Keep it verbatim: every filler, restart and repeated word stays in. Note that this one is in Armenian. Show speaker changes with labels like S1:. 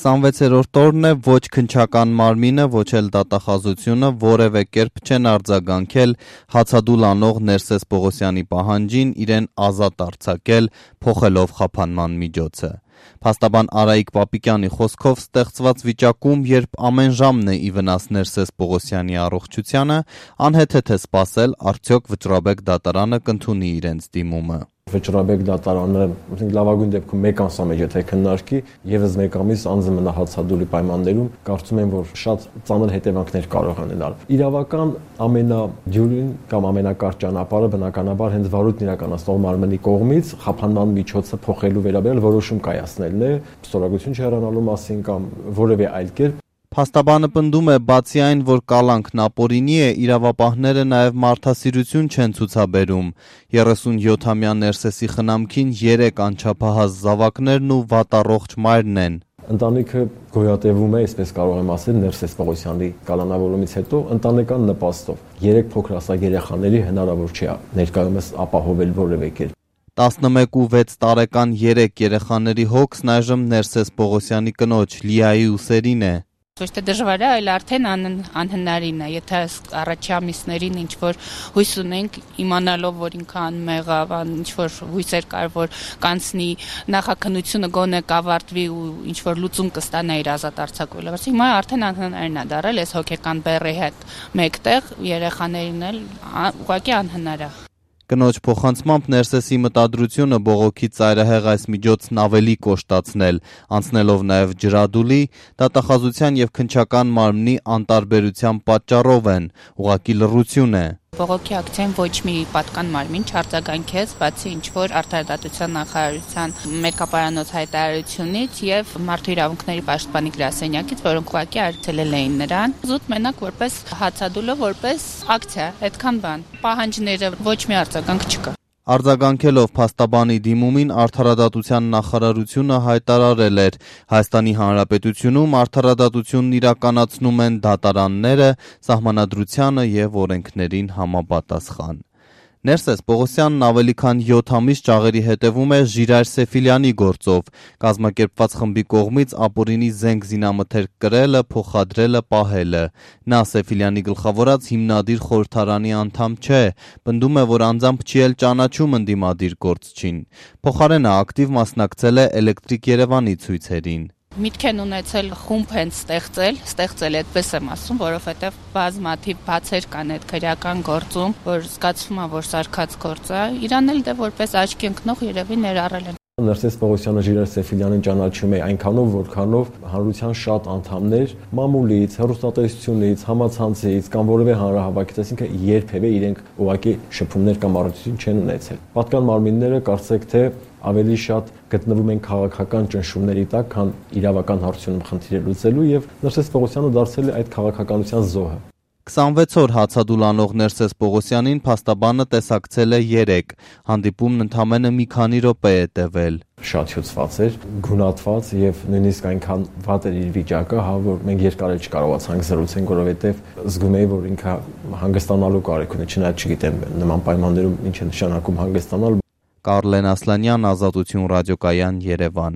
S1: քսանվեցերորդ օրն է, ոչ քննչական մարմինը, ոչ էլ դատախազությունը որևէ կերպ չեն արձագանքել հացադուլ անող Ներսես Պողոսյանի պահանջին իրեն ազատ արձակել, փոխելով խափանման միջոցը։ Փաստաբան Արայիկ Պապիկյանի խոսքով ստեղծված վիճակում, երբ ամեն ժամն է ի վնաս Ներսես Պողոսյանի առողջությանը, անհեթեթ է սպասել, արդյոք Վճռաբեկ դատարանը կընդունի իրենց դիմումը։
S2: Վճռաբեկ դատարանը լավագույն դեպքում մեկ ամսա մեջ եթե քննարկի, եւս մեկ ամիս անձը մնա հացադուլի պայմաններում, կարծում եմ, որ շատ ծանր հետևանքներ կարող են ունենալ։ Իրավական ամենադյուրին կամ ամենակարճ ճանապարհը բնականաբար հենց վարույթն իրականացնող մարմնի կողմից խափանման միջոցը փոխելու վերաբերյալ որոշում կայացնելն է, ստորագրություն չհեռանալու մասին կամ որևէ այլ կերպ։
S1: Փաստաբանը պնդում է, բացի այն, որ կալանքն ապօրինի է, իրավապահները նաև մարդասիրություն չեն ցուցաբերում։ երեսունյոթամյա Ներսեսի խնամքին երեք անչափահաս զավակներն ու վատառողջ մայրն են։
S2: Ընտանիքը գոյատևում է, այսպես կարող եմ ասել, Ներսես Պողոսյանի կալանավորումից հետո ընտանեկան նպաստով։ Երեք փոքրասակ երեխաների հնարավոր չէ ներկայումս ապահովել որևէ կերպ։
S1: տասնմեկ ու վեց տարեկան երեք երեխաների հոգսն այժմ Ներսես Պողոսյանի կնոջ Լիայի ուսերին է։
S3: Ոչ թե դժվար է, այլ արդեն անհնարին է, եթե առաջի ամիսներին ինչ-որ հույս ունենք, իմանալով, որ ինքը անմեղավ, ինչ-որ հույսեր կար, որ կանցնի նախաքննությունը գոնե կավարտվի ու ինչ-որ լուծում կստանա իր ազատ արձակվելը։ Հիմա արդեն անհնարին է դարել, այս հոգեկան բեռի հետ մեկտեղ երեխաներին էլ ուղղակի անհնար է։
S1: Կնոջ փոխանցմամբ Ներսեսի մտադրությունը բողոքի ծայրահեղ այս միջոցն ավելի կոշտացնել, անցնելով նաև ջրադուլի, դատախազության եւ քննչական մարմնի անտարբերության պատճառով են, ուղղակի լռություն է։
S3: Բողոքի ակցիային ոչ մի պատկան մարմին չարձագանքեց, բացի ինչ-որ Արդարադատության նախարարության մեկապարանոց հայտարարությունից եւ Մարդու իրավունքների պաշտպանի գրասենյակից, որոնք ուղղակի արգելել էին նրան։ Զուտ մենակ որպես հացադուլը, որպես ակցիա, այդքան բան։ Պահանջները ոչ մի արձագանք չկա։
S1: Արձագանքելով փաստաբանի դիմումին Արդարադատության նախարարությունը հայտարարել էր. Հայաստանի Հանրապետությունում արդարադատությունն իրականացնում են դատարանները սահմանադրությանը եւ օրենքներին համապատասխան։ Ներսես Պողոսյանն ավելի քան յոթ ամիս ճաղերի հետևում է Ժիրայր Սեֆիլյանի գործով, կազմակերպված խմբի կողմից ապօրինի զենք զինամթերք կրելը, փոխադրելը, պահելը։ Նա Սեֆիլյանի գլխավորած հիմնադիր խորհրդարանի անդամ չէ, պնդում է, որ անձամբ չի էլ ճանաչում ընդդիմադիր գործչին։ Փոխարենը ակտիվ մասնակցել է Էլեկտրիկ Երևանի ցույցերին։
S3: Միտք են ունեցել խումբ են ստեղծել, ստեղծել այդպես եմ ասում, որովհետև բազմաթիվ բացեր կան այդ քրեական գործում, որ զգացվում է, որ սարքած գործ է, իրան էլ դե որպես աչքի ընկնող երևի ներառել են։
S2: Ներսես Պողոսյանը Ժիրայր Սեֆիլյանին ճանաչում է այնքանով, որքանով հանրության շատ անդամներ մամուլից, հեռուստատեսությունից, համացանցից կամ որևէ հանրահավաքից, այսինքն երբևէ իրենք ուղղակի շփումներ կամ առողջություն չեն ունեցել։ Պատկան մարմինները կարծեք թե ավելի շատ գտնվում են քաղաքական ճնշումների տակ, քան իրավական հարցությունում խնդիրը լուծելու եւ Ներսես Պողոսյանը դարձել է այդ քաղաքականության զոհը։
S1: քսանվեց օր հացադուլ անող Ներսես Պողոսյանին փաստաբանը տեսակցել է երեք, հանդիպումն ընդամենը մի քանի րոպե է տևել։
S2: Շատ հյուծված էր, գունատված եւ նույնիսկ այնքան վատ էր իր վիճակը, հա որ մենք երկար էլ չկարողացանք զրուցենք, որովհետեւ զգում էի, որ ինքը հանգստանալու կարիք ունի, չնայած չգիտեմ նման պայմաններում ինչ է նշանակում հանգստանալ։
S1: Կարլեն Ասլանյան, Ազատություն ռադիոկայան, Երևան։